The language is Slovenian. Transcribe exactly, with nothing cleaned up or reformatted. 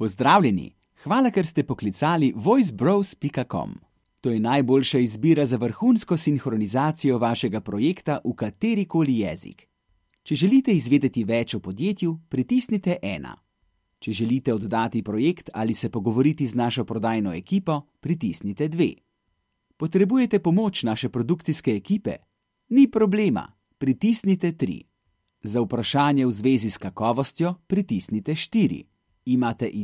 Pozdravljeni! Hvala, ker ste poklicali voice bros pika com. To je najboljša izbira za vrhunsko sinhronizacijo vašega projekta v katerikoli jezik. Če želite izvedeti več o podjetju, pritisnite ena. Če želite oddati projekt ali se pogovoriti z našo prodajno ekipo, pritisnite dve. Potrebujete pomoč naše produkcijske ekipe? Ni problema, pritisnite tri. Za vprašanje v zvezi s kakovostjo, pritisnite štiri. Imate